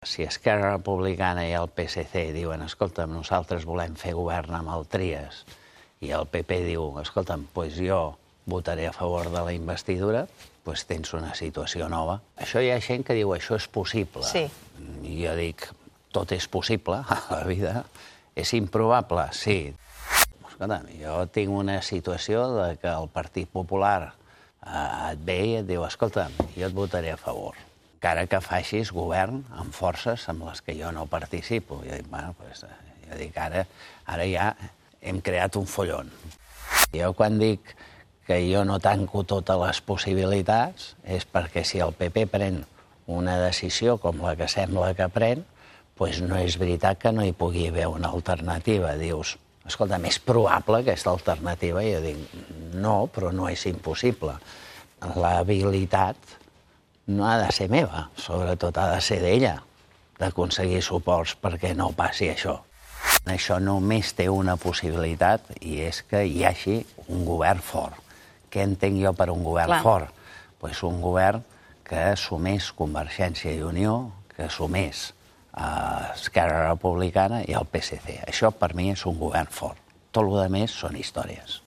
Si Esquerra Republicana i el PSC diuen escolta'm, nosaltres volem fer govern amb el Trias, i el PP diu, escolta'm, doncs jo votaré a favor de la investidura, doncs tens una situació nova. Això hi ha gent que diu, això és possible. Sí. I jo dic, tot és possible a la vida. És improbable? Sí. Escolta'm, jo tinc una situació de que el Partit Popular et ve i et diu, escolta'm, jo et votaré a favor, encara que facis govern amb forces amb les que jo no participo. Jo dic, bueno, doncs, jo dic, ara ja hem creat un follon. Jo quan dic que jo no tanco totes les possibilitats és perquè si el PP pren una decisió com la que sembla que pren, doncs no és veritat que no hi pugui haver una alternativa. Dius, escolta, és probable aquesta alternativa? I jo dic, no, però no és impossible. L'habilitat no ha de ser meva, sobretot ha de ser d'ella, d'aconseguir suports perquè no passi això. Això només té una possibilitat i és que hi hagi un govern fort. Què entenc jo per un govern fort? Doncs un govern que assumeix Convergència i Unió, que assumeix Esquerra Republicana i el PSC. Això per mi és un govern fort. Tot el que més són històries.